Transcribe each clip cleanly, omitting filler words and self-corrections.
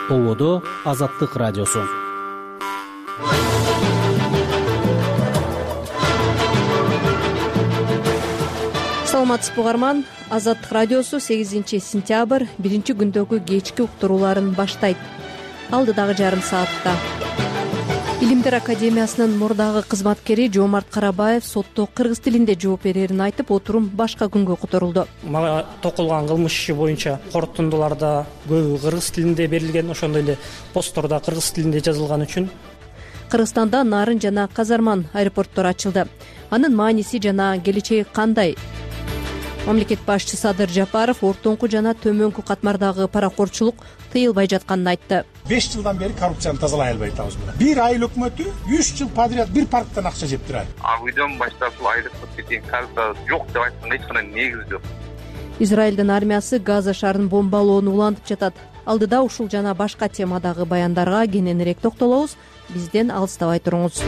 Ободо Азаттык радиосу. Саламатсызбы угарман. Азаттык радиосу 8-сентябрь 1-күндөгү кечки уктурууларын баштайт. Алдыдагы жарым саатта Илимдер академиясынын мурдагы кызматкери Жомарт Карабаев сотто кыргыз тилинде жооп берерин айтып, отурум башка күнгө которулду. Мага токулган кылмыш иши боюнча корутундуларда көбү кыргыз тилинде берилген, ошондой эле посттордо кыргыз тилинде жазылган үчүн. Кыргызстанда Нарын жана Казарман аэропорттор ачылды. Анын мааниси жана келечеги кандай? Мамлекет башчысы Садыр Жапаров ортоңку жана төмөнкү катмардагы паракорчулук тыйылбай жатканын айтты. 5 жылдан бери коррупцияны тазалай албай атабыз. Бир айыл өкмөтү 3 жыл подряд бир парктан акча жеп турат. Үйдөн баштап бул айлыкка кеткен карта жок деп айтканга эч кандай негиз жок. Израилдин армиясы Газа шаарын бомбалоону улантып жатат. Алдыда ушул жана башка темадагы баяндарга кененирээк токтолобуз. Бизден алыстабай туруңуз.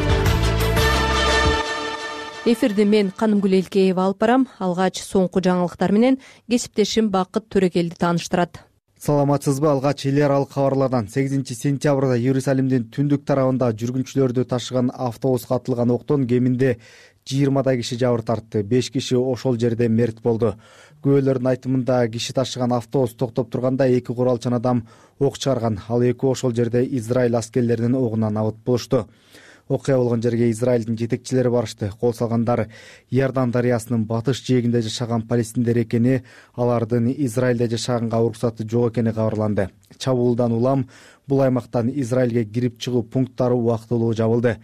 Эфирди мен Канымгүл Элкеева алып барам. Алгач соңку жаңылыктар менен кесиптешим Бакыт Төрекелди тааныштырат. Саламатсызбы? Алгач эл аралык кабарлардан 8-сентябрда Иерусалимдин түндүк тарабында жүргүнчүлөрдү ташыган автобуска атылган октон кеминде 20 киши жабыр тартты. 5 киши ошол жерде мерт болду. Күбөлөрдүн айтымында киши ташыган автобус токтоп турганда 2 куралчан адам ок чыгарган. Ал экөө ошол жерде Израиль аскерлеринин огунан абыт болушту. Окуя болгон жерге Израилдин жетекчилери барышты. Кол салгандар Иордан дарыясынын батыш жээгинде жашаган палестиндер экени, алардын Израилде жашаганга уруксаты жок экени кабарланды. Чабуулдан улам бул аймактан Израилге кирип чыгуу пункттары убактылуу жабылды.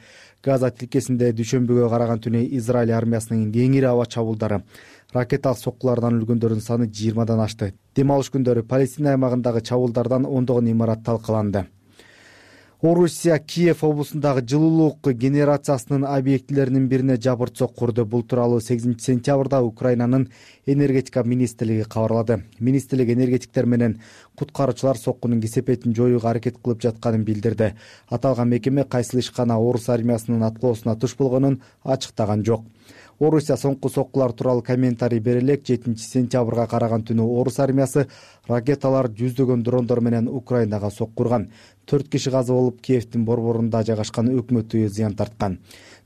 Газа тилкесинде дүйшөмбүгө караган түнү Израиль армиясынын кеңири аба чабуулдары, ракеталык соккулардан өлгөндөрдүн саны 20дан ашты. Дем алыш күндөрү Палестина аймагындагы чабуулдардан ондогон имарат талкаланды. Орусия Киев облусундагы жылуулук генерациясынын объектилеринин бирине жабырт курду. Бул тууралуу 8-сентябрда Украинанын энергетика министрлиги кабарлады. Министрлик энергетиктер менен куткаруучулар соккунун кесепетин жоюуга аракет кылып жатканын билдирди. Аталган мекеме кайсыл ишкана орус армиясынын аткоосуна туш болгонун ачыктаган жок. Орусия соңку соккулар тууралуу комментарий бере элек 7-сентябрга караган түнү орус армиясы ракеталар жүздөгөн дрондор менен Украинага соккурган. 4 киши каза болуп, Киевдин борборунда жайгашкан өкмөт үйү зыян тарткан.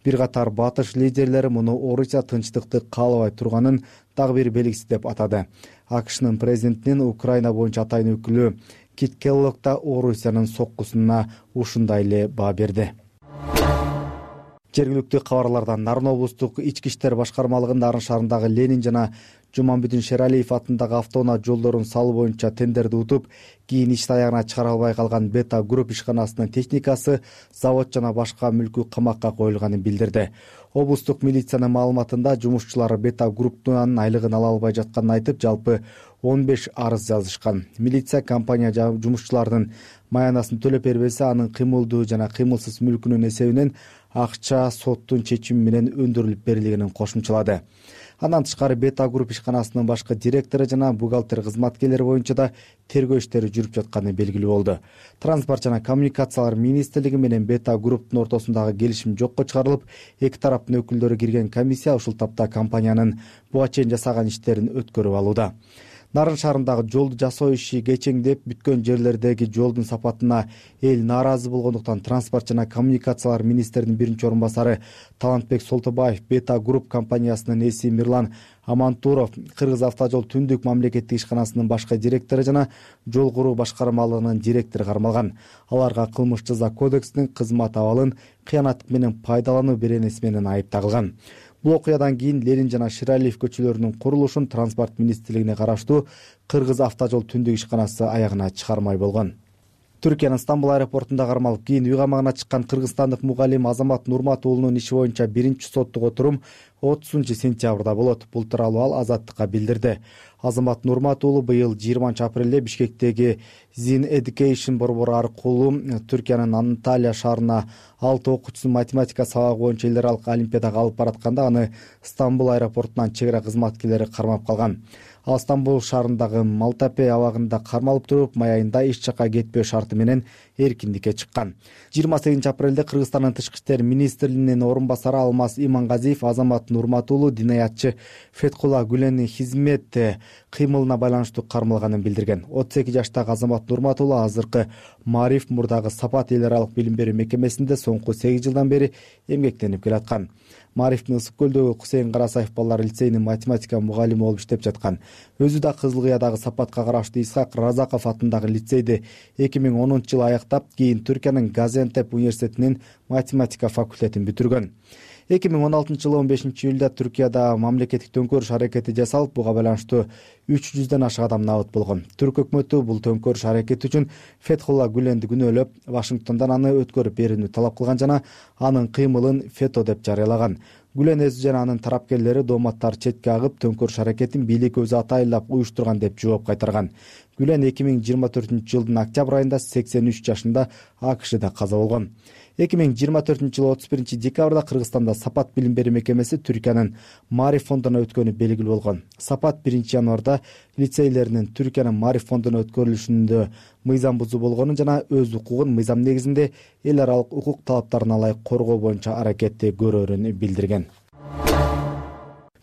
Бир катар батыш лидерлери муну Орусия тынчтыкты каалабай турганын дагы бир белгиси деп атады. АКШнын президентинин Украина боюнча атайын өкүлү Кит Келлог да Орусиянын соккусуна ушундай эле баа берди. Жергиликтүү кабарлардан Нарын облустук ички иштер башкармалыгынын Нарын шаарындагы Ленин жана Жуманбүдүн Шералиев атындагы автоунаа жолдорун салуу боюнча тендерди утуп, кийин иш аягына чыгара албай калган Бета Групп ишканасынын техникасы, завод жана башка мүлкү камакка коюлганын билдирди. Облустук милициянын маалыматында жумушчулар Бета Групптун айлыгын ала албай жатканын айтып, жалпы 15 арыз жазышкан. Милиция компания жумушчулардын маянасын төлөп бербесе, анын кыймылдуу жана кыймылсыз мүлкүнүн эсебинен акча соттун чечими менен өндүрүлүп берилгенин кошумчалады. Андан тышкары Бета Групп ишканасынын башкы директору жана бухгалтер кызматкерлери боюнча да тергөө иштери жүрүп жатканы белгилүү болду. Транспорт жана коммуникациялар министрлиги менен Бета Групптун ортосундагы келишим жокко чыгарылып, эки тараптын өкүлдөрү кирген комиссия ушул тапта компаниянын буга чейин жасаган иштерин өткөрүп алууда. Нарын шаарындагы жолду жасоо иши кечеңдеп, бүткөн жерлердеги жолдун сапатына эл нааразы болгондуктан транспорт жана коммуникациялар министринин биринчи орун басары Талантбек Солтобаев, Бета Групп компаниясынын эси Мирлан Амантуров, Кыргыз автожол түндүк мамлекеттик ишканасынын башкы директору жана жол куруу башкармалыгынын директору кармалган. Аларга кылмыш жаза кодексинин кызмат абалын кыянаттык менен пайдалануу беренеси менен айып тагылган. Бул окуядан кийин Ленин жана Ширалиев көчөлөрүнүн курулушун транспорт министрлигине караштуу Кыргыз автожол түндүк ишканасы аягына чыгармай болгон. Түркиянын Стамбул аэропортунда кармалып, кийин үй камагына чыккан кыргызстандык мугалим Азамат Нурмат уулунун иши боюнча биринчи соттук отурум 30-сентябрда болот. Бул тууралуу ал Азаттыкка билдирди. Азамат Нурмат уулу быйыл 20-апрелде Бишкектеги Zin Education борбору аркылуу Түркиянын Анталия шаарына 6 окуучусун математика сабагы боюнча эл аралык олимпиадага алып баратканда аны Стамбул аэропортунан чек ара кызматкерлери кармап калган. Ал Стамбул шаарындагы Малтапе абагында кармалып туруп, май айында эч жакка кетпөө шарты менен эркиндикке чыккан. 28 апрелде Кыргызстандын тышкы иштер министринин орун басары Алмаз Имангазиев Азамат Нурматулу динаятчы Феткула Гүленин хизмет кыймылына байланыштуу кармалганын билдирген. 32 жаштагы Азамат Нурматулу азыркы Маариф мурдагы Сапат эл аралык билим берүү мекемесинде соңку 8 жылдан бери эмгектенип келаткан. Маарифтин Ысык көлдөгү Кусейин Карасаев балдар лицейинин математика мугалими болуп иштеп жаткан. Өзү да Кызыл Кыядагы Сапатка караштуу Исхак Разаков атындагы лицейди 2010-жылы аяктап, кийин Түркиянын Газиантеп университетинин математика факультетин бүтүргөн. 2016-жылы 15-июлда Түркияда мамлекеттик төңкөрүш аракети жасалып, буга байланыштуу 300дөн ашык адам набыт болгон. Түрк өкмөтү бул төңкөрүш аракети үчүн Фетхулла Гүленди күнөөлөп, Вашингтондон аны өткөрүп берүүнү талап кылган жана анын кыймылын фето деп жарыялаган. Гүлен өзү жана анын тарапкерлери дооматтар четке агып, төңкөрүш аракетин бийлик өзү атайылап уюштурган деп жооп кайтарган. Гүлен 2024-жылдын октябрь айында 83 жашында АКШда каза болгон. 2024-жылы 31 декабрда Кыргызстанда Сапат билим берүү мекемеси Түркиянын Маариф фондуна өткөнү белгилүү болгон. Сапат 1 январда лицейлеринин Түркиянын Маариф фондуна өткөрүлүшүндө мыйзам бузуу болгонун жана өз укугун мыйзам негизинде эл аралык укук талаптарына ылайык коргоо боюнча аракетти көрөрүн билдирген.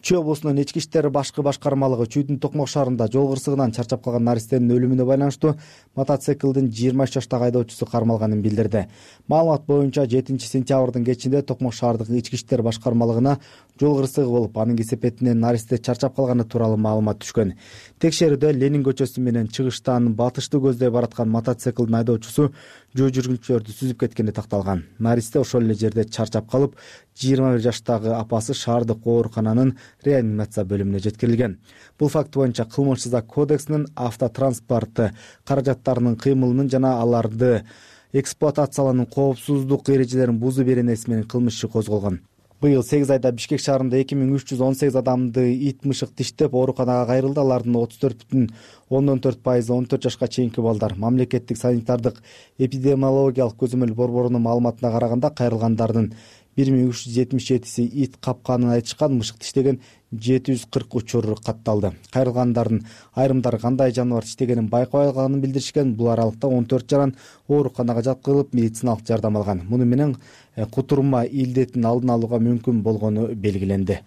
Чүй облусунун ички иштер башкы башкармалыгы Чүйдүн Токмок шаарында жол кырсыгынан чарчап калган наристенин өлүмүнө байланыштуу мотоциклдин 23 жаштагы айдоочусу кармалганын билдирди. Маалымат боюнча 7-сентябрдын кечинде Токмок шаардык ички иштер башкармалыгына жол кырсыгы болуп, анын кесепетинен наристе чарчап калганы тууралуу маалымат түшкөн. Текшерүүдө Ленин көчөсү менен чыгыштан батышты көздөй бараткан мотоциклдин айдоочусу жөө жүргүнчүлөрдү сүзүп кеткени такталган. Наристе ошол эле жерде чарчап калып, 21 жаштагы апасы шаардык оорукананын реанимация бөлүмүнө жеткирилген. Бул факт боюнча Кылмыш жаза кодексинин автотранспорт каражаттарынын кыймылынын жана аларды эксплуатациялоонун коопсуздук эрежелерин бузуу беренеси менен кылмыш иши козголгон. Быйыл 8 айда Бишкек шаарында 2318 адамды ит мышык диштеп ооруканага кайрылды. Алардын 34,4% 14 жашка чейинки балдар. Мамлекеттик санитардык эпидемиологиялык көзөмөл борборунун маалыматына караганда кайрылгандардын 1377си ит капканын айтышкан, мышык диштеген 740 учур катталды. Кайрылгандардын айрымдары кандай жаныбар диштегенин байкабай калганын билдиришкен. Бул аралыкта 14 жаран ооруканага жаткырылып, медициналык жардам алган. Муну менен кутурма илдетин алдын алууга мүмкүн болгону белгиленди.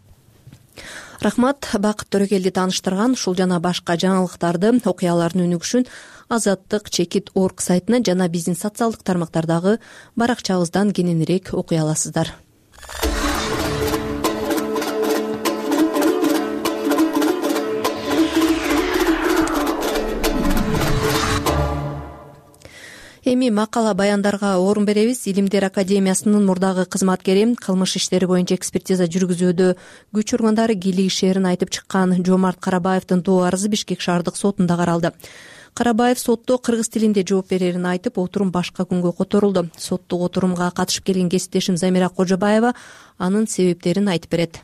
Рахмат, Бакыт Төрөкелди тааныштырган. Ушул жана башка жаңылыктарды, окуялардын өнүгүшүн Азаттык чекит орг сайтынан жана биздин социалдык тармактардагы баракчабыздан кененирээк окуй аласыздар. Эми макала баяндарга орун беребиз. Илимдер академиясынын мурдагы кызматкери, кылмыш иштери боюнча экспертиза жүргүзүүдө күч ургандары кийлигишээрин айтып чыккан Жомарт Карабаевдин доо арызы Бишкек шаардык сотунда каралды. Карабаев сотто кыргыз тилинде жооп берерин айтып, отурум башка күнгө которулду. Соттук отурумга катышып келген кесиптешим Замира Кожобаева анын себептерин айтып берет.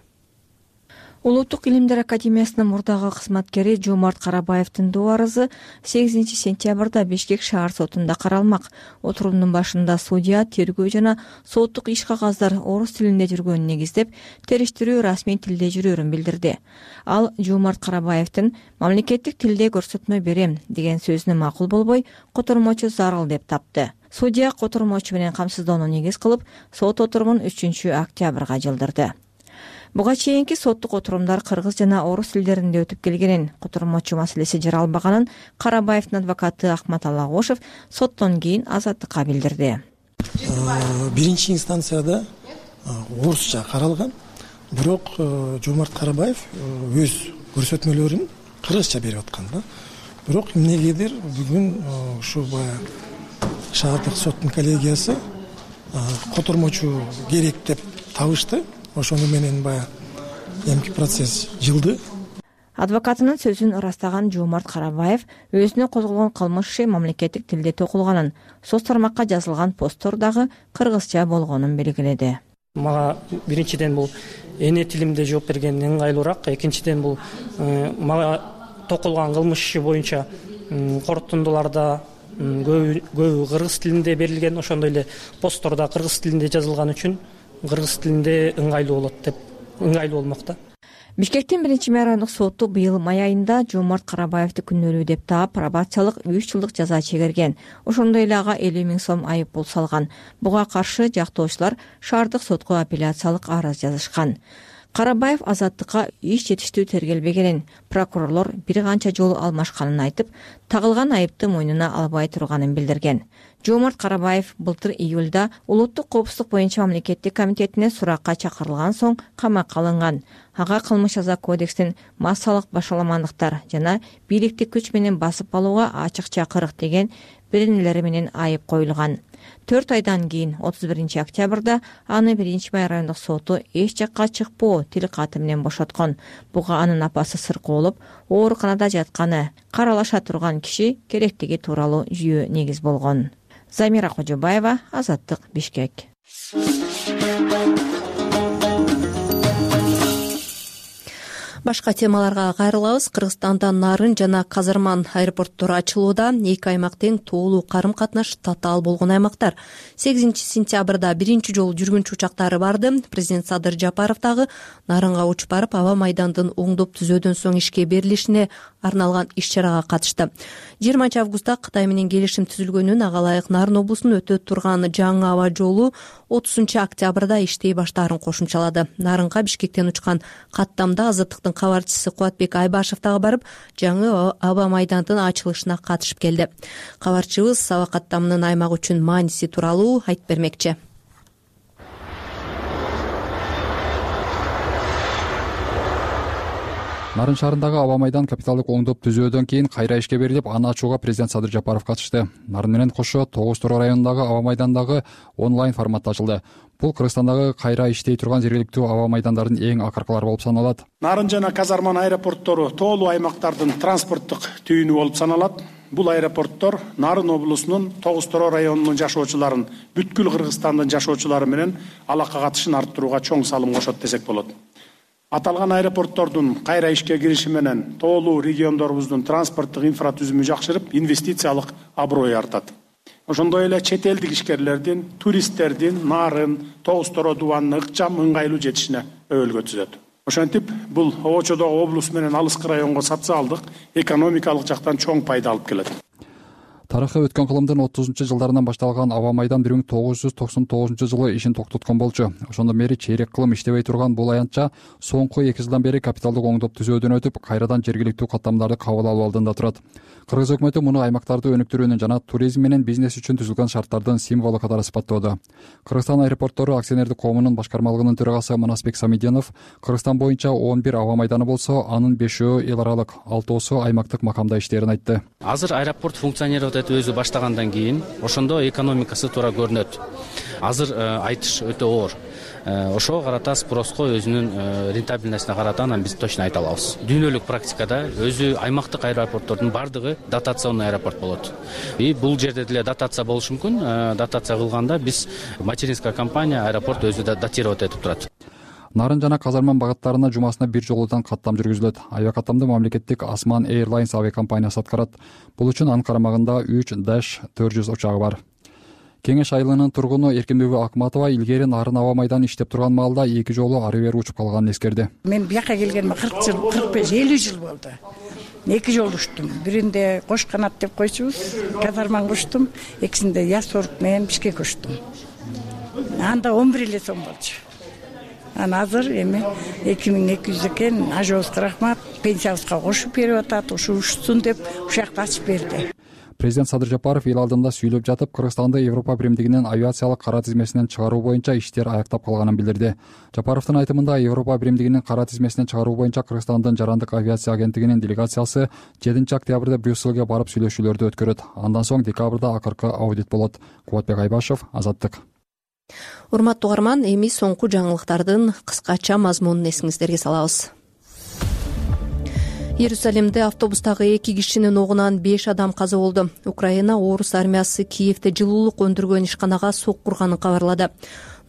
Улуттук илимдер академиясынын мурдагы кызматкери Жомарт Карабаевдин доо арызы 8 сентябрда Бишкек шаар сотунда каралмак. Отурумдун башында судья тергөө жана соттук иш кагаздар орус тилинде жүргөнүн негиздеп, териштирүү расмий тилде жүрөрүн билдирди. Ал Жомарт Карабаевдин мамлекеттик тилде көрсөтмө берем деген сөзүнө макул болбой, котормочу зарыл деп тапты. Судья котормочу менен камсыздоону негиз кылып, сот отурумун 3 октябрга жылдырды. Буга чейинки соттук отурумдар кыргыз жана орус тилдеринде өтүп келгенин, котормочу маселеси жаралбаганын Карабаевдин адвокаты Ахмат Алагошев соттон кийин Азаттыкка билдирди. Биринчи инстанцияда орусча каралган, бирок Жомарт Карабаев өз көрсөтмөлөрүн кыргызча берип аткан да. Бирок эмнегедир бүгүн ушу шаардык соттун коллегиясы котормочу керек деп табышты. Ошону менен эмки процесс жылды. Адвокатынын сөзүн ырастаган Жомарт Карабаев өзүнө козголгон кылмыш иши мамлекеттик тилде токулганын, соц тармакка жазылган посттор дагы кыргызча болгонун белгиледи. Мага биринчиден бул эне тилимде жооп берген ыңгайлуураак, экинчиден бул мага токулган кылмыш иши боюнча корутундуларда көбү кыргыз тилинде берилген, ошондой эле посттордо кыргыз тилинде жазылган үчүн кыргыз тилинде ыңгайлуу болот деп ыңгайлуу болмок да. Бишкектин 1 райондук соту быйыл май айында Жомарт Карабаевди күнөөлүү деп таап пробациялык 3 жылдык жаза чегерген. Ошондой эле ага 50 000 сом айып пул салган. Буга каршы жактоочулар шаардык сотко апелляциялык арыз жазышкан. Карабаев азаттыкка иш жетиштүү тергелбегенин, прокурорлор бир канча жолу алмашканын айтып, тагылган айыпты мойнуна албай турганын билдирген. Жомарт Карабаев былтыр июлда Улуттук коопсуздук боюнча мамлекеттик комитетине суракка чакырылган соң камакка алынган. Ага кылмыш жаза кодекстин массалык башаламандыктар жана бийликти күч менен басып алууга ачык чакырык деген беренелери менен айып коюлган. 4 айдан кийин 31 октябрда аны 1 май райондук соту эч жакка чыкпоо тил каты менен бошоткон. Буга анын апасы сыркоо болуп, ооруканада жатканы, каралаша турган киши керектиги тууралуу жүйө негиз болгон. Замира Кожобаева, Азаттык, Бишкек. Башка темаларга кайрылабыз. Кыргызстанда Нарын жана Казарман аэропорттору ачылууда. Эки аймак тең тоолуу карым-катнаш татаал болгон аймактар. 8 сентябрда биринчи жолу жүргүнчү учактары барды. Президент Садыр Жапаров дагы Нарынга учуп барып, аба майдандын оңдоп түзөөдөн соң ишке берилишине арналган иш-чарага катышты. 20 августта Кытай менен келишим түзүлгөнүн, ага ылайык Нарын облусунун өтө турган жаңы аба жолу 30 октябрда иштей баштаарын кошумчалады. Нарынга Бишкектен учкан каттамда Азаттыктын кабарчысы Кубатбек Айбашев дагы барып, жаңы аба майдандын ачылышына катышып келди. Кабарчыбыз аба каттамынын аймак үчүн мааниси тууралуу айтып бермекчи. Нарын шаарындагы аба майдан капиталдык оңдоп түзөөдөн кийин кайра ишке берилип, аны ачууга президент Садыр Жапаров катышты. Нарын менен кошо 9 Тороо районундагы аба майдандагы онлайн форматта ачылды. Бул Кыргызстандагы кайра иштей турган жергиликтүү аба майдандардын эң акыркылары болуп саналат. Нарын жана Казарман аэропорттору тоолуу аймактардын транспорттук түйүнү болуп саналат. Бул аэропорттор Нарын облусунун 9 Тороо районунун жашоочуларын, бүткүл Кыргызстандын жашоочулары менен алака катышын арттырууга чоң салым кошот десек болот. Аталган аэропорттордун кайра ишке кириши менен тоолуу региондорубуздун транспорттук инфратүзүмү жакшырып, инвестициялык аброю артат. Ошондой эле чет элдик ишкерлердин, туристтердин Нарын, 9 Тороо дубанына ыкчам, ыңгайлуу жетишине өбөлгө түзөт. Ошентип, бул обочодогу облус менен алыскы районго социалдык, экономикалык жактан чоң пайда алып келет. Тарыхы өткөн кылымдын 30-жылдарынан башталган аба майдан 1999-жылы ишин токтоткон болчу. Ошондон бери чейрек кылым иштебей турган бул аянтча соңку 2 жылдан бери капиталдык оңдоп түзөөдөн өтүп, кайрадан жергиликтүү каттамдарды кабыл алуу алдында турат. Кыргыз өкмөтү муну аймактарды өнүктүрүүнүн жана туризм менен бизнес үчүн түзүлгөн шарттардын символу катары сыпаттоодо. Кыргызстан аэропорттору акционердик коомунун башкармалыгынын төрагасы Манасбек Самиденов Кыргызстан боюнча 11 аба майданы болсо, анын 5-өө эл аралык, 6-оосу аймактык макамда иштээрин айтты. Азыр аэропорт функционировать этип өзү баштагандан кийин ошондо экономикасы туура көрүнөт. Азыр айтыш өтө оор. Ошого карата спроско өзүнүн рентабельностуна карата анан биз точно айта алабыз. Дүйнөлүк практикада өзү аймактык аэропорттордун бардыгы дотационный аэропорт болот. И бул жерде деле дотация болушу мүмкүн. Дотация кылганда биз материнская компания аэропорт өзү датировать этип турат. Нарын жана Казарман багыттарына жумасына бир жолудан каттам жүргүзүлөт. Авиакаттамды мамлекеттик Осман Airlines авиакомпаниясы аткарат. Бул үчүн анын карамагында 3-400 учагы бар. Кеңеш айылынын тургуну Эркинбүбү Акматова илгери Нарын аба майдан иштеп турган маалда 2 жолу ары бери учуп калганын эскерди. Мен бияка келгениме 40 жыл, 45-50 жыл болду. 2 жолу учтум. Биринде Кош канат деп койчубуз, Казарман учтум, экисинде Ясорк менен Бишкек учтум. Анда 11 сом болчу. Ана азыр эми 2200 экен, ажыбызга рахмат, пенсиябызга кошуп берип атат, ушу учсун деп ушакты ачып берди. Президент Садыр Жапаров эл алдында сүйлөп жатып, Кыргызстанды Европа биримдигинин авиациялык кара тизмесинен чыгаруу боюнча иштер аяктап калганын билдирди. Жапаровдун айтымында Европа биримдигинин кара тизмесинен чыгаруу боюнча Кыргызстандын жарандык авиация агенттигинин делегациясы 7 октябрда Брюсселге барып сүйлөшүүлөрдү өткөрөт. Андан соң декабрда акыркы аудит болот. Кубатбек Айбашев, Азаттык. Урматтуу угарман, эми соңку жаңылыктардын кыскача мазмунун эсиңиздерге салабыз. Иерусалимде автобустагы 2 кишинин огунан 5 адам каза болду. Украина орус армиясы Киевде жылуулук өндүргөн ишканага сок курганын кабарлады.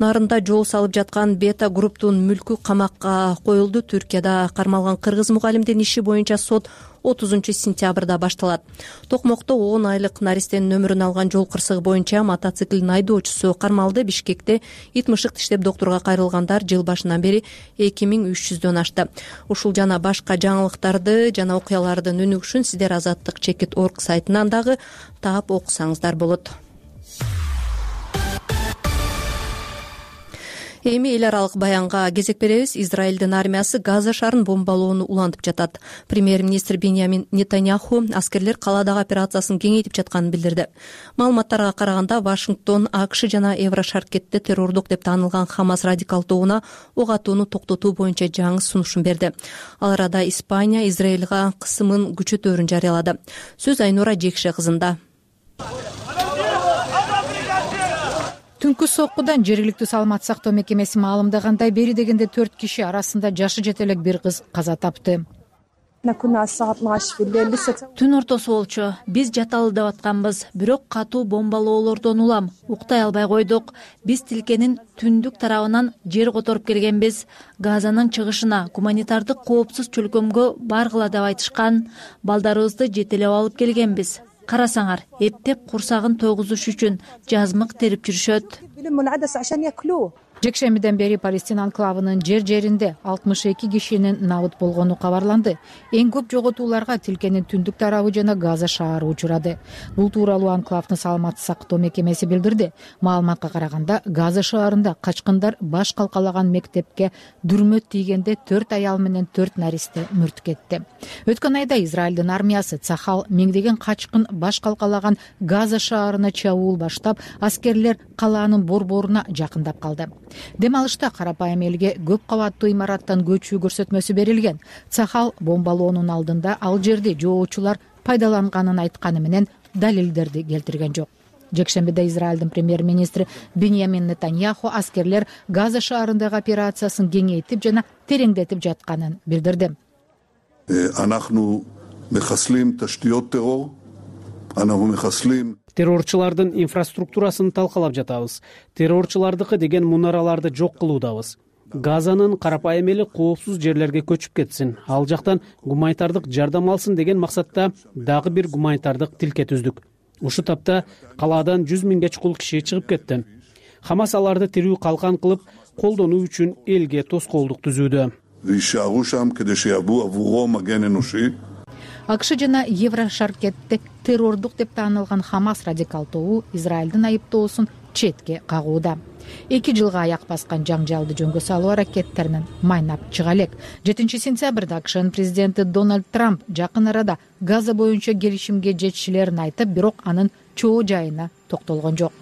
Нарында жол салып жаткан Бета групптун мүлкү камакка коюлду. Түркияда кармалган кыргыз мугалимдин иши боюнча сот 30-сентябрда башталат. Токмокто 10 айлык наристенин өмүрүн алган жол кырсыгы боюнча мотоциклдин айдоочусу кармалды. Бишкекте ит мышык иштеп доктурга кайрылгандар жыл башынан бери 2300дөн ашты. Ушул жана башка жаңылыктарды жана окуялардын өнүгүшүн сиздер Азаттык.org сайтынан дагы таап окусаңыздар болот. Эми эл аралык баянга кезек беребиз. Израилдин армиясы Газа шаарын бомбалоону улантып жатат. Премьер-министр Биньямин Нетаньяху аскерлер калаадагы операциясын кеңейтип жатканын билдирди. Маалыматтарга караганда Вашингтон АКШ жана Еврошаркетте террордук деп таанылган Хамас радикал тобуна ок атууну токтотуу боюнча жаңы сунушун берди. Ал арада Испания Израилга кысымын күчөтөөрүн жарыялады. Сөз Айнура Жекше кызында. Түнкү соккудан жергиликтүү саламаттык сактоо мекемеси маалымдагандай, бери дегенде 4 киши арасында жашы жете элек бир кыз каза тапты. Түн ортосу болчу. Биз жаталы деп атканбыз, бирок катуу бомбалоолордон улам уктай албай койдук. Биз тилкенин түндүк тарабынан жер которуп келгенбиз. Газанын чыгышына гуманитардык коопсуз чөлкөмгө баргыла деп айтышкан. Балдарыбызды жетелеп алып келгенбиз. Карасаңар, эптеп курсагын тойгузуш үчүн жазмык терип жүрүшөт. Жекшембиден бери Палестина анклавынын жер-жеринде 62 кишинин набыт болгону кабарланды. Эң көп жоготууларга тилкенин түндүк тарабы жана Газа шаары учурады. Бул тууралуу анклавдын саламаттык сактоо мекемеси билдирди. Маалыматка караганда, Газа шаарында качкындар баш калкалаган мектепке дүрмөт тийгенде 4 аял менен 4 наристе мурт кетти. Өткөн айда Израилдин армиясы Цахал миңдеген качкын баш калкалаган Газа шаарына чабуул баштап, аскерлер калаанын борборуна жакындап калды. Дем алышта карапайым элге көп кабаттуу имараттан көчүү көрсөтмөсү берилген. Цахал бомбалоонун алдында ал жерди жоочулар пайдаланганын айтканы менен далилдерди келтирген жок. Жекшембиде Израилдин премьер-министри Биньямин Нетаньяху аскерлер Газа шаарындагы операциясын кеңейтип жана тереңдетип жатканын билдирди. Террорчулардын инфраструктурасын талкалап жатабыз. Террорчулардыкы деген мунараларды жок кылуудабыз. Газанын карапайым эли коопсуз жерлерге көчүп кетсин, ал жактан гуманитардык жардам алсын деген максатта дагы бир гуманитардык тилке түздүк. Ушу тапта калаадан 100 миңге чукул киши чыгып кетти. Хамас аларды тирүү калкан кылып колдонуу үчүн элге тоскоолдук түзүүдө. АКШ жана Еврошаркетте террордук деп таанылган Хамас радикал тобу Израилдин айыптоосун четке кагууда. 2 жылга аяк баскан жаңжалды жөнгө салуу аракеттеринен майнап чыга элек. 7-сентябрда АКШнын президенти Дональд Трамп жакын арада Газа боюнча келишимге жетишилерин айтып, бирок анын чоо жайына токтолгон жок.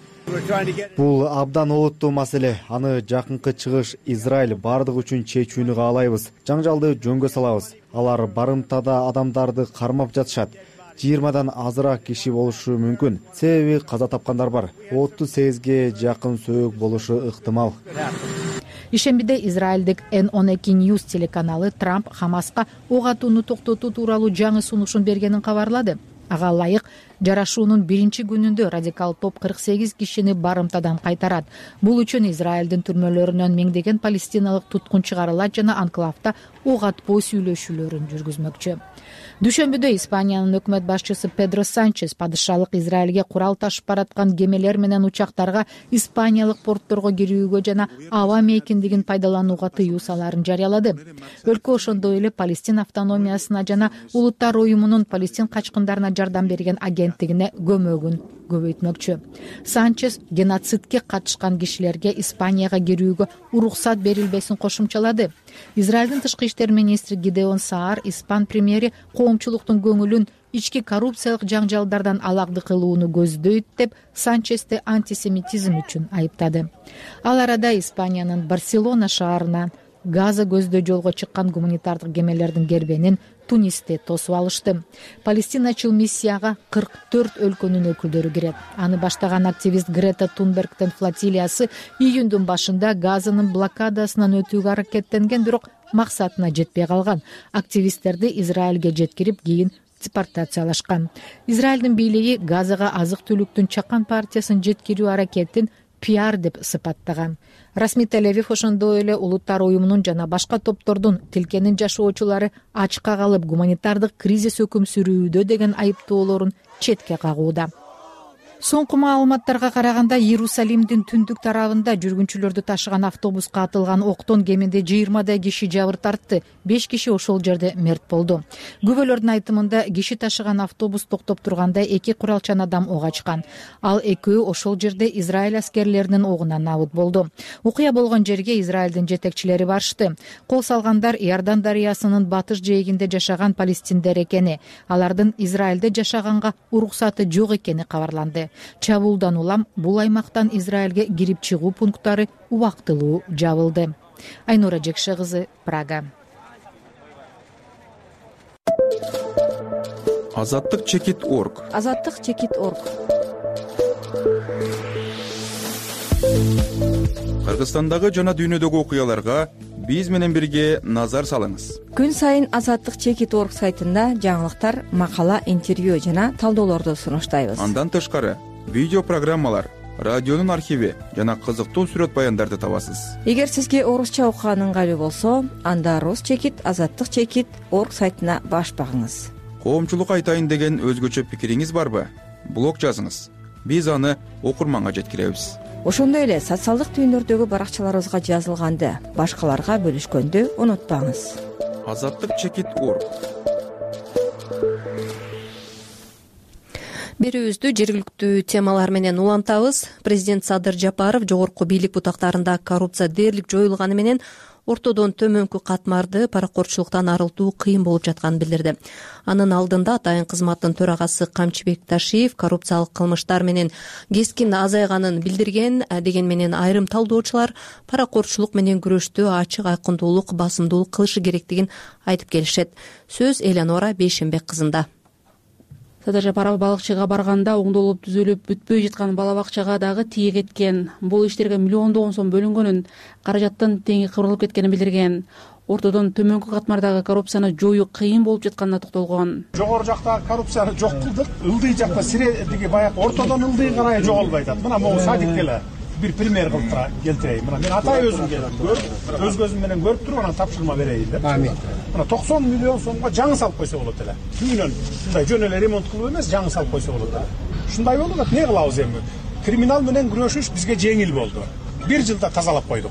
Бул абдан олуттуу маселе. Аны жакынкы чыгыш Израиль бардыгы үчүн чечүүнү каалайбыз. Жаңжалды жөнгө салабыз. Алар барымтада адамдарды кармап жатышат. 20дан азыраак киши болушу мүмкүн. Себеби каза тапкандар бар. 38ге жакын сөөгү болушу ыктымал. Ишембиде Израилдик N12 News телеканалы Трамп Хамаска ок атууну токтотуу тууралуу жаңы сунушун бергенин кабарлады. Ага ылайык жарашуунун 1-күнүндө радикал топ 48 кишини барымтадан кайтарат. Бул үчүн Израилдин түрмөлөрүнөн миңдеген палестиналык туткун чыгарылат жана анклавда ок атпоо сүйлөшүүлөрүн жүргүзмөкчү. Дүйшөмбүдө Испаниянын өкмөт башчысы Педро Санчес падышалык Израилге курал ташып бараткан кемелер менен учактарга испаниялык портторго кирүүгө жана аба мейкиндигин пайдаланууга тыюу салаарын жарыялады. Өлкө ошондой эле Палестин автономиясына жана Улуттар уюмунун Палестин качкындарына жардам берген агенттигине көмөгүн көбөйтмөкчү. Санчес геноцидке катышкан кишилерге Испанияга кирүүгө уруксат берилбесин кошумчалады. Израилдин тышкы иштер министри Гидеон Саар испан премьери коомчулуктун көңүлүн ички коррупциялык жаңжалдардан алагды кылууну көздөйт деп Санчести антисемитизм үчүн айыптады. Ал арада Испаниянын Барселона шаарынан Газа көздөө жолго чыккан гуманитардык кемелердин кербенин Тунисте тосуп алышты. Палестиначыл миссияга 44 өлкөнүн өкүлдөрү кирет. Аны баштаган активист Грета Тунбергдин флотилиясы июндун башында Газанын блокадасынан өтүүгө аракеттенген, бирок максатына жетпей калган. Активисттерди Израилге жеткирип, кийин депортациялашкан. Израилдин бийлиги Газага азык-түлүктүн чакан партиясын жеткирүү аракетин пиар деп сыпаттаган. Расмий Тель-Авив ошондой эле Улуттар уюмунун жана башка топтордун тилкенин жашоочулары ачка калып гуманитардык кризис өкүм сүрүүдө деген айыптоолорун четке кагууда. Соңку маалыматтарга караганда Иерусалимдин түндүк тарабында жүргүнчүлөрдү ташыган автобуска атылган октон кеминде 20 киши жабыр тартты. 5 киши ошол жерде мерт болду. Күбөлөрдүн айтымында киши ташыган автобус токтоп турганда 2 куралчан адам ок ачкан. Ал экөө ошол жерде Израиль аскерлеринин огунан набыт болду. Окуя болгон жерге Израилдин жетекчилери барышты. Кол салгандар Иордан дарыясынын батыш жээгинде жашаган палестиндер экени, алардын Израилде жашаганга уруксаты жок экени кабарланды. Чабуулдан улам бул аймактан Израилге кирип чыгуу пункттары убактылуу жабылды. Айнура Жекше кызы, Прага. Азаттык чекит.org. Азаттык чекит.org. Кыргызстандагы жана дүйнөдөгү окуяларга биз менен бирге назар салыңыз. Күн сайын Азаттык чекит.org сайтында жаңылыктар, макала, интервью жана талдоолорду сунуштайбыз. Андан тышкары видео программалар, радионун архиви жана кызыктуу сүрөт баяндарды табасыз. Эгер сизге орусча окуган ыңгайлуу болсо, анда Рус чекит, Азаттык чекит.org сайтына баш багыңыз. Коомчулукка айтайын деген өзгөчө пикириңиз барбы? Блог жазыңыз. Биз аны окурманга жеткиребиз. Ошондой эле социалдык түйүндөрдөгү баракчаларыбызга жазылганды башкаларга бөлүшкөндү унутпаңыз. Азаттык чекит.org. Берүүбүздү жергиликтүү темалар менен улантабыз. Президент Садыр Жапаров жогорку бийлик бутактарында коррупция дээрлик жоюлганы менен ортодон төмөнкү катмарды паракорчулуктан арылтуу кыйын болуп жатканын билдирди. Анын алдында атайын кызматтын төрагасы Камчыбек Ташиев коррупциялык кылмыштар менен кескин азайганын билдирген, деген менен айрым талдоочулар паракорчулук менен күрөштө ачык айкындуулук, басымдуулук кылышы керектигин айтып келишет. Сөз Элеонора Бейшенбек кызында. Садыр Жапаров балыкчыга барганда оңдолуп түзүлүп бүтпөй жаткан бала бакчага дагы тие кеткен. Бул иштерге миллиондогон сом бөлүнгөнүн, каражаттын теңи кыбырылып кеткенин билдирген. Ортодон төмөнкү катмардагы коррупцияны жоюу кыйын болуп жатканына токтолгон. Жогору жактагы коррупцияны жок кылдык, ылдый жакта сиредиги баягы ортодон ылдый карай жоголбой атат. Мына могу садик эле бир пример кылып келтирейин. Мына мен атай өзүм көрүп, өз көзүм менен көрүп туруп анан тапшырма берейин деп. Амин. Мына 90 миллион сомго жаңы салып койсо болот эле. Үйүнөн мындай жөн эле ремонт кылып эмес, жаңы салып койсо болот эле. Ушундай болуп атат. Не кылабыз эми? Криминал менен күрөшүш бизге жеңил болду. 1 жылда тазалап койдук.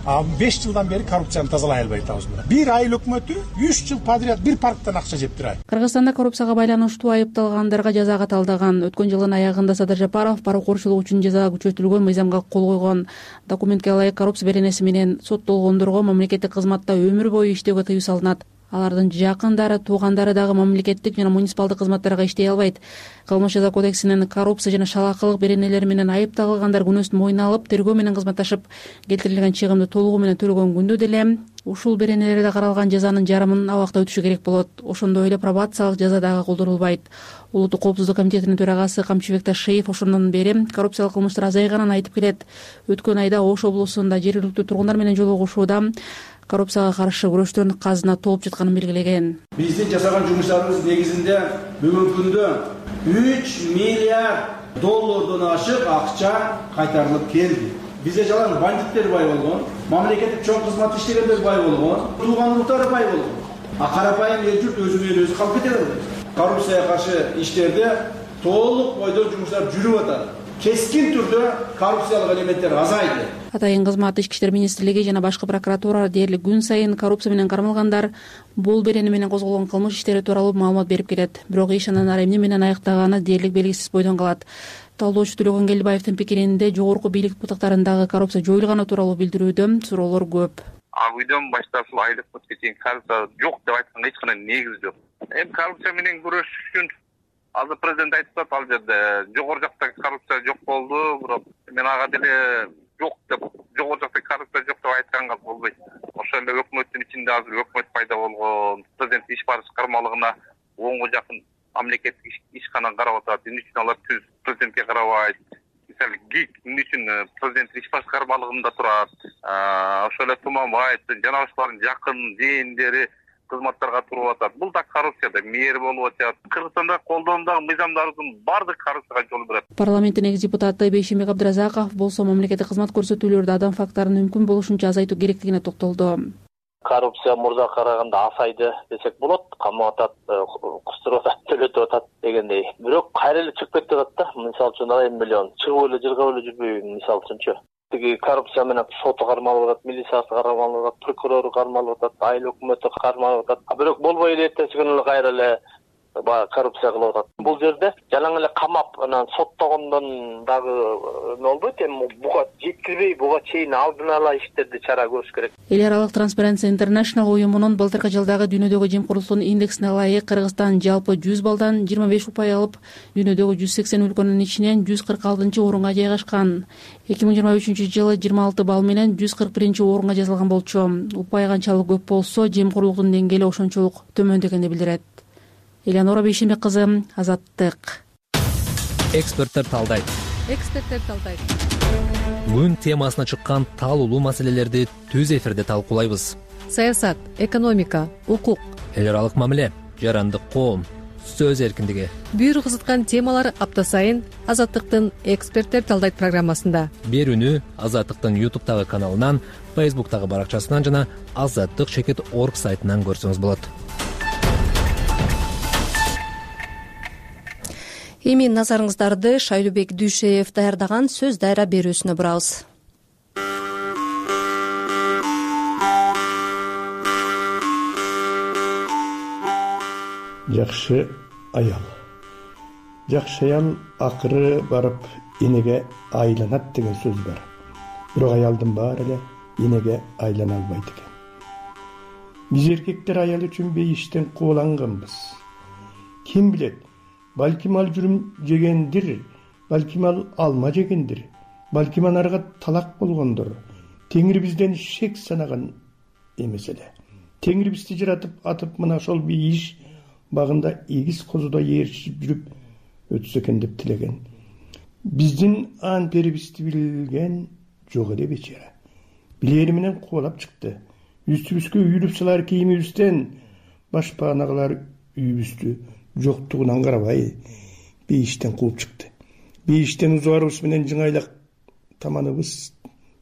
5 жылдан бери коррупцияны тазалай албай атабыз. Бир айыл өкмөтү 3 жыл подряд бир парктан акча жептир ай. Кыргызстанда коррупцияга байланыштуу айыпталгандарга жаза каталдаган. Өткөн жылдын аягында Садыр Жапаров паракорчулук үчүн жаза күчөтүлгөн мыйзамга кол койгон. Документке ылайык коррупция беренеси менен соттолгондорго мамлекеттик кызматта өмүр бою иштөөгө тыюу салынат. Алардын жакындары, туугандары дагы мамлекеттик жана муниципалдык кызматтарга иштей албайт. Кылмыш жаза кодексинин коррупция жана шалаакылык беренелери менен айыпталгандар күнөөсүн мойнуна алып, тергөө менен кызматташып, келтирилген чыгымды толугу менен төлөгөн күндө деле ушул беренелерде каралган жазанын жарымын абакта өтүшү керек болот. Ошондой эле пробациялык жаза дагы колдонулбайт. Улуттук коопсуздук комитетинин төрагасы Камчыбек Ташиев ошондон бери коррупциялык кылмыштар азайганын айтып келет. Өткөн айда Ош облусунда жергиликтүү тургундар менен жолугушууда коррупцияга каршы күрөштөн казына толуп жатканын белгилеген. Биздин жасаган жумуштарыбыз негизинде бүгүнкү күндө 3 миллиард доллардан ашык акча кайтарылып келди. Бизде жалаң бандиттер бай болгон, мамлекеттик чоң кызмат иштегендер бай болгон, тууган уруктары бай болгон. Карапайым эл журт өзү менен өзү калып кете берди. Коррупцияга каршы иштерде толук бойдон жумуштар жүрүп атат. Кескин түрдө коррупциялык элементтер азайды. Атайын кызмат, Ички иштер министрлиги жана башкы прокуратура дээрлик күн сайын коррупция менен кармалгандар, бул берени менен козголгон кылмыш иштери тууралуу маалымат берип келет. Бирок иш анан эмне менен аяктаганы дээрлик белгисиз бойдон калат. Талдоочу Төлөгөн Келдибаевдин пикиринде жогорку бийлик бутактарындагы коррупция жоюлганы тууралуу билдирүүдө суроолор көп. Үйдөн баштап ушул айлык бутка чейин коррупция жок деп айтканга эч кандай негиз жок. Эми коррупция менен күрөшүш үчүн азыр президент айтып атат, ал жерде жогору жактагы коррупция жок болду, бирок мен ага деле жок деп, жогору жактагы коррупция жок деп айтканга болбойт. Ошол эле өкмөттүн ичинде азыр өкмөт пайда болгон, президент иш башкармалыгына 10га жакын мамлекеттик ишкана карап атат. Эмне үчүн алар түз президентке карабайт? Мисалы ГИК эмне үчүн президенттик иш башкармалыгында турат? Ошол эле Туманбаев жана ошолордун жакын жээндери кызматтарга туруп атат. Бул да коррупция да мээр болуп атат. Кыргызстанда колдонундагы мыйзамдардын баардыгы коррупцияга жол берет. Парламенттин экс депутаты Бейшембек Абдыразаков болсо мамлекеттик кызмат көрсөтүүлөрдө адам факттарын мүмкүн болушунча азайтуу керектигине токтолду. Коррупция мурда караганда азайды десек болот. Камап атат, кустуруп атат, төлөтүп атат дегендей. Бирок кайра эле чыгып кетип атат да. Мисалы үчүн 1 миллион чыгып эле жыргап эле жүрбөйбү мисалы үчүнчү. Тиги коррупция менен соту кармалып атат, милициясы кармалып атат, прокурору кармалып атат, айыл өкмөтү кармалып атат. Бирок болбой эле эртеси күнү кайра эле коррупция кылып атат. Бул жерде жалаң эле камап анан соттогондон дагы болбойт. Эми буга жеткирбей, буга чейин алдын ала иштерди чара көрүш керек. Эл аралык Transparency International уюмунун былтыркы жылдагы дүйнөдөгү жемкорлуктун индексине ылайык Кыргызстан жалпы 100 балдан 25 упай алып, дүйнөдөгү 180 өлкөнүн ичинен 146-орунга жайгашкан. 2023-жылы 26 балл менен 141-орунга жазылган болчу. Упай канчалык көп болсо, жемкорлуктун деңгээли ошончолук төмөндөгөнү билдирет. Элеонора Бейшембек кызы, Азаттык. Эксперттер талдайт. Күн темасына чыккан талуулуу маселелерди түз эфирде талкуулайбыз. Саясат, экономика, укук, эл аралык мамиле, жарандык коом, сөз эркиндиги. Бүйүр кызыткан темалар апта сайын Азаттыктын Эксперттер талдайт программасында. Берүүнү Азаттыктын YouTube'тагы каналынан, Facebook'тагы баракчасынан жана azattik.org сайтынан көрсөңүз болот. Эми назарыңыздарды Шайлообек Дүйшеев даярдаган сөз дайра берүүсүнө бурабыз. Жакшы аял. Жакшы аял акыры барып энеге айланат деген сөз бар. Бирок аялдын баары эле энеге айлана албайт экен. Биз эркектер аял үчүн бейиштен кубуланганбыз. Ким билет? Балким ал жүрүм жегендир, балким ал алма жегендир, балким анарга талак болгондур. Теңир бизден шек санаган эмес эле. Теңир бизди жаратып атып мына ошол бейиш багында эгиз козудой ээрчип жүрүп өтсө экен деп тилеген. Биздин ан перибизди билген жок эле бечара. Билери менен кубалап чыкты. Үстүбүзгө үйүлүп салар кийимибизден башпанагалар үйүбүздү жоктугунан карабай бейиштен кууп чыкты. Бейиштен узубарыбыз менен жыңайлак таманыбыз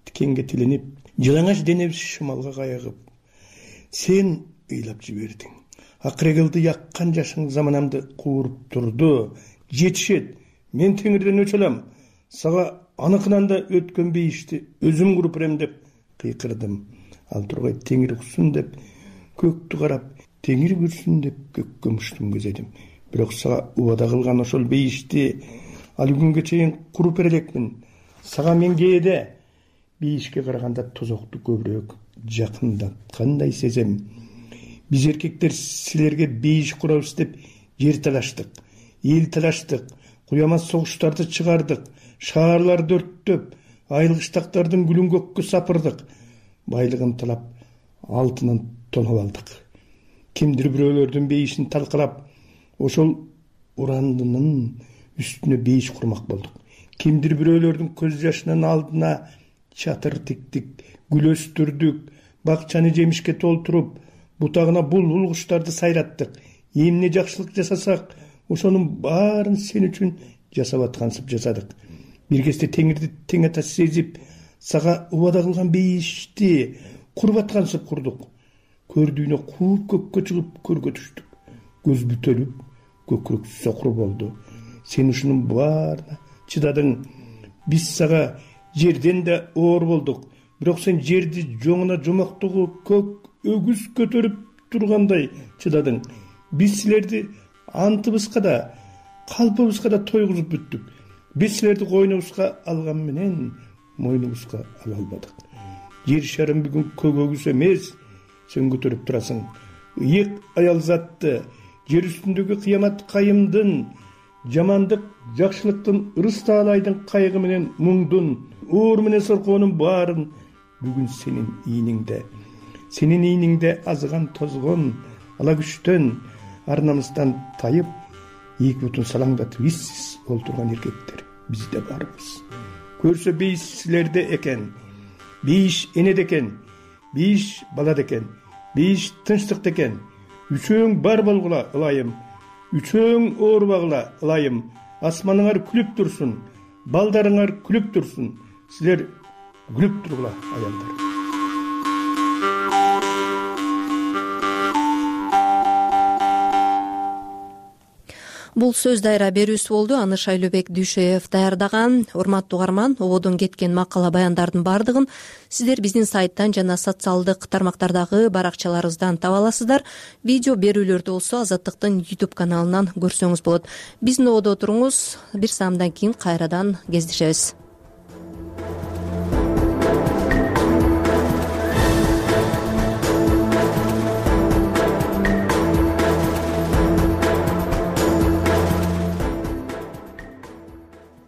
тикенге тиленип, жылаңач денебиз шымалга кайыгып, сен ыйлап жибердиң. Акырегилди яккан жашың заманамды кууруп турду. Жетишет, мен теңирден өчө алам. Сага аныкынан да өткөн бейишти өзүм куруп берем деп кыйкырдым. Ал тургай теңир уксун деп көктү карап, теңир көрсүн деп көккө муштум көзөдүм. Бирок сага убада кылган ошол бейишти ал күнгө чейин куруп бере элекмин. Сага мен кээде бейишке караганда тозокту көбүрөөк жакындаткандай сезем. Биз эркектер силерге бейиш курабыз деп жер талаштык, эл талаштык, куямас согуштарды чыгардык, шаарларды өрттөп, айылгыштактардын гүлүн көккө сапырдык, байлыгын талап, алтынын тоноп алдык. Кимдир бирөөлөрдүн бейишин талкалап, ошол урандынын үстүнө бейиш курмак болдук. Кимдир бирөөлөрдүн көз жашынын алдына чатыр тиктик, гүл өстүрдүк, бакчаны жемишке толтуруп, бутагына булбул куштарды сайраттык. Эмне жакшылык жасасак, ошонун баарын сен үчүн жасап аткансып жасадык. Бир кезде теңирди тең ата сезип, сага убада кылган бейишти куруп аткансып курдук. Көрдүүнө кууп көккө чыгып көргө түштүк. Көз бүтөлүп, көкүрөк сокур болду. Сен ушунун баарына чыдадың. Биз сага жерден да оор болдук. Бирок сен жерди жоңуна жомоктугу көк өгүз көтөрүп тургандай чыдадың. Биз силерди антыбызга да, калпыбызга да тойгузуп бүттүк. Биз силерди койнубузга алган менен мойнубузга ала албадык. Жер шарым бүгүн көк өгүз эмес, сен көтөрүп турасың. Ыйык аял затты, жер үстүндөгү кыямат кайымдын, жамандык, жакшылыктын, ырыс таалайдын кайгы менен муңдун, оор менен соркоонун баарын бүгүн сенин ийниңде. Сенин ийниңде азган тозгон, ала күчтөн, ар намыстан тайып, эки бутун салаңдатып иссиз олтурган эркектер бизде барбыз. Көрсө бейиш силерде экен, бейиш энеде экен, бейиш балада экен, бейиш тынчтыкта экен, үчөөң бар болгула ылайым, үчөөң оорубагыла ылайым. Асманыңар күлүп турсун, балдарыңар күлүп турсун, силер күлүп тургула аялдар. Бул сөз дайра берүүсү болду. Аны Шайлообек Дүйшөев даярдаган. Урматтуу угарман, ободон кеткен макала баяндардын бардыгын сиздер биздин сайттан жана социалдык тармактардагы баракчаларыбыздан таба аласыздар. Видео берүүлөрдү болсо Азаттыктын YouTube каналынан көрсөңүз болот. Биздин ободо туруңуз. Бир саамдан кийин кайрадан кездешебиз.